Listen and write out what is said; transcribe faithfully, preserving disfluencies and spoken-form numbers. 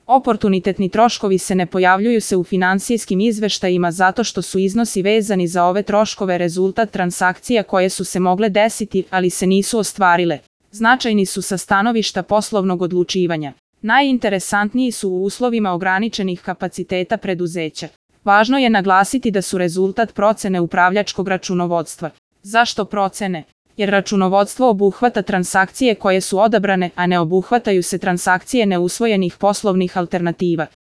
Oportunitetni troškovi se ne pojavljuju se u finansijskim izveštajima zato što su iznosi vezani za ove troškove rezultat transakcija koje su se mogle desiti, ali se nisu ostvarile. Značajni su sa stanovišta poslovnog odlučivanja. Najinteresantniji su u uslovima ograničenih kapaciteta preduzeća. Važno je naglasiti da su rezultat procene upravljačkog računovodstva. Zašto procene? Jer računovodstvo obuhvata transakcije koje su odabrane, a ne obuhvataju se transakcije neusvojenih poslovnih alternativa.